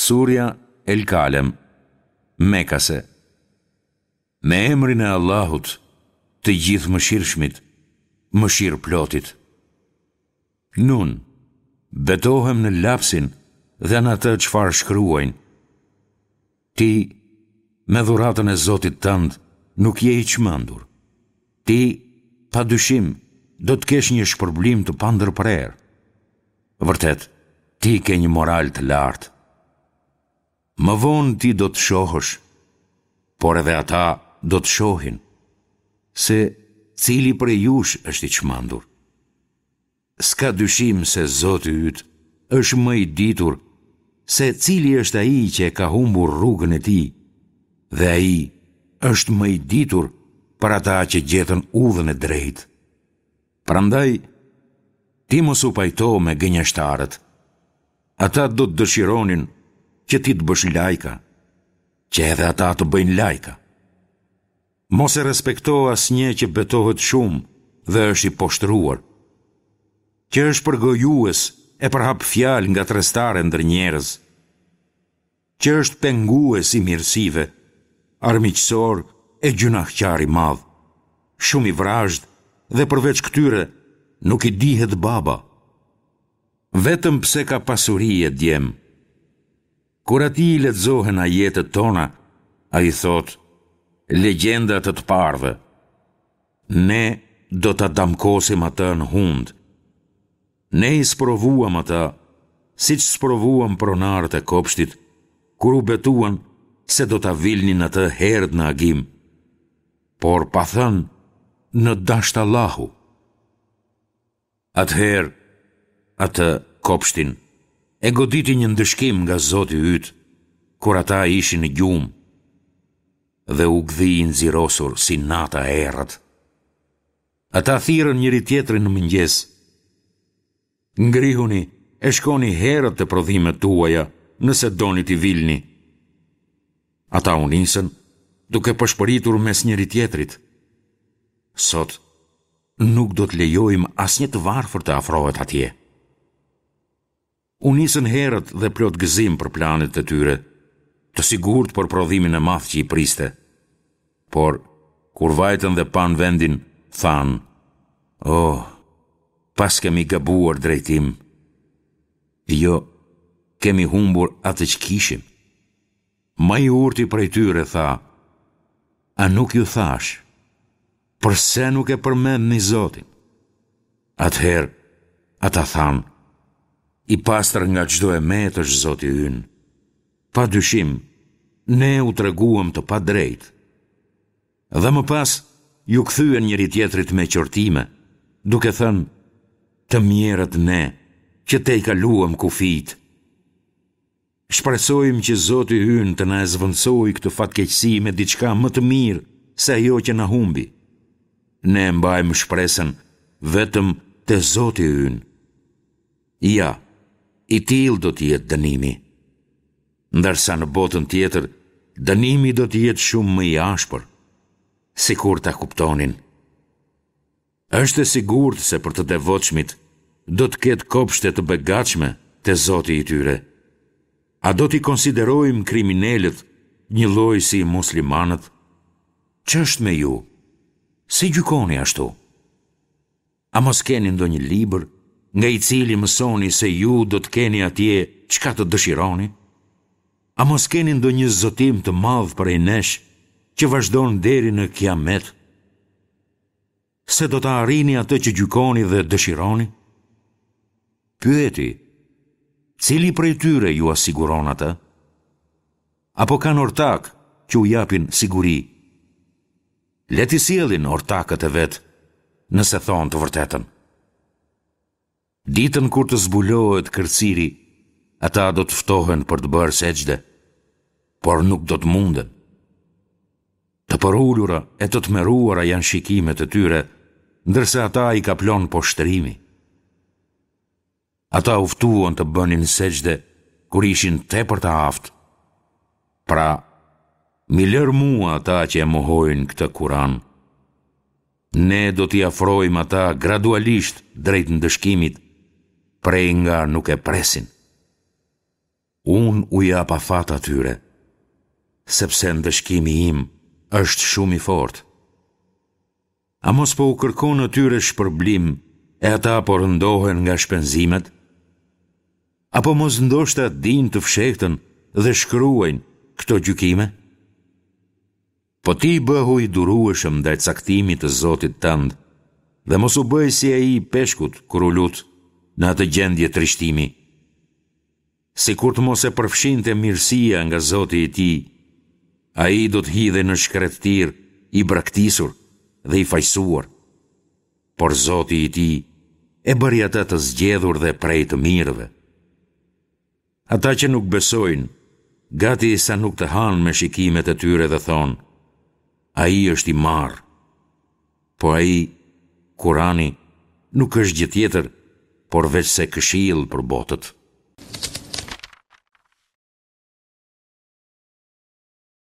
Surja El Kalem, Mekase Me emrin e Allahut, të Gjithëmëshirshmit, Mëshirëplotit. Nun, betohem në lapsin dhe në atë çfarë shkruajnë. Ti, me dhuratën e Zotit tënd, nuk je i çmendur. Ti, pa dyshim, do të kesh një shpërblim të pandërprerë. Vërtet, ti ke një moral të lartë. Më vonë ti do të shohësh, por edhe ata do të shohin, se cili prej jush është i çmendur. S'ka dyshim se Zoti yt është më i ditur se cili është ai që e ka humbur rrugën e tij dhe ai është më i ditur për ata që gjetën udhën e drejtë. Prandaj, ti mos u pajto me gënjeshtarët. Ata do të dëshironin që ti të bësh lajka, që edhe ata të bëjnë lajka. Mos e respekto asnjë që betohet shumë dhe është i poshtëruar, që është përgojues e përhap fjalë ngatërrestare ndër njerëz, që është pengues i mirësive, armiqësor e gjynahqar i madh, shumë i vrazhdë dhe përveç këtyre nuk i dihet baba. Vetëm pse ka pasuri e djem. Kur atij i lexohen ajetet tona, ai thotë, legjenda të të parëve. Ne do ta damkosim atë në hundë. Ne i sprovuam ata, siç sprovuam pronarët e kopshtit, kur u betuan se do ta vilnin atë herët në agim, por pa thënë në dashtë Allahu. Atëherë, atë, kopshtin, e goditi një ndëshkim nga Zoti yt, kur ata ishin në gjumë, dhe u gdhi i nxirosur si nata e errët. Ata thirrën njëri-tjetrin në mëngjes, Ngrihuni e shkoni herët te prodhimet tuaja, nëse doni t'i vilni. Ata u nisën, duke pëshpëritur mes njëri-tjetrit, Sot, nuk do të lejojmë asnjë të varfër të afrohet atje. U nisën herët dhe plot gëzim për planet e tyre, të sigurt për prodhimin e madh që i priste. Por, kur vajtën dhe panë vendin, thanë, Oh, paskemi gabuar drejtim. Jo, kemi humbur atë që kishim. Më i urti prej tyre tha, A nuk ju thashë, përse nuk e përmendni Zotin? Atëherë, ata thanë, I pastër nga çdo e metë është Zoti ynë. Pa dyshim, ne u treguam të padrejtë. Dhe më pas, iu kthyen njëri-tjetrit me qortime, duke thënë, Të mjerët ne, që tejkaluam kufijtë. Shpresojmë që Zoti ynë të na e zëvendësojë këtë fatkeqësi me diçka më të mirë se ajo që na humbi. Ne e mbajmë shpresën vetëm te Zoti ynë. Ja, i tillë do të jetë dënimi. Ndërsa në botën tjetër, dënimi do të jetë shumë më i ashpër, sikur ta kuptonin. Është e sigurt se për të devotshmit do të ketë kopshte të begatshme te Zoti i tyre. A do t'i konsiderojmë kriminelët njëlloj si muslimanët? Ç'është me ju? Si gjykoni ashtu? A mos keni ndonjë libër nga i cili mësoni se ju do të keni atje çka të dëshironi? A mos keni ndonjë zotim të madh prej nesh që vazhdon deri në Kiamet? Se do ta arrini atë që gjykoni dhe dëshironi? Pyeti, cili prej tyre jua siguron atë? Apo kanë ortakë që u japin siguri? Le t'i sjellin ortakët e vet, nëse thonë të vërtetën. Ditën kur të zbulohet kërciri, ata do të ftohen për të bërë sexhde, por nuk do të munden. Të përulura e të tmerruara janë shikimet e tyre, ndërsa ata i kaplon poshtërimi. Ata u ftuan të bënin sexhde kur ishin tepër të aftë. Pra, m'i lër mua ata që e mohojnë këtë Kuran. Ne do t'i afrojmë ata gradualisht drejt ndëshkimit, prej nga nuk e presin. Unë u jap afat atyre, sepse ndëshkimi im është shumë i fortë. A mos po u kërkon atyre shpërblim e ata po rëndohen nga shpenzimet? Apo mos ndoshta dinë të fshehtën dhe shkruajnë këto gjykime? Po ti bëhu i durueshëm ndaj caktimit të Zotit tënd dhe mos u bëj si ai i peshkut kur u lut në atë gjendje trishtimi. Sikur të mos e përfshinte mirësia nga Zoti i tij, ai do të hidhej në shkretëtirë i braktisur dhe i fajësuar. Por Zoti i tij e bëri atë të zgjedhur dhe prej të mirëve. Ata që nuk besojnë, gati sa nuk të hanë me shikimet e tyre dhe thonë, Ai është i marrë. Po ai, Kurani, nuk është gjë tjetër, por veçse këshillë për botët.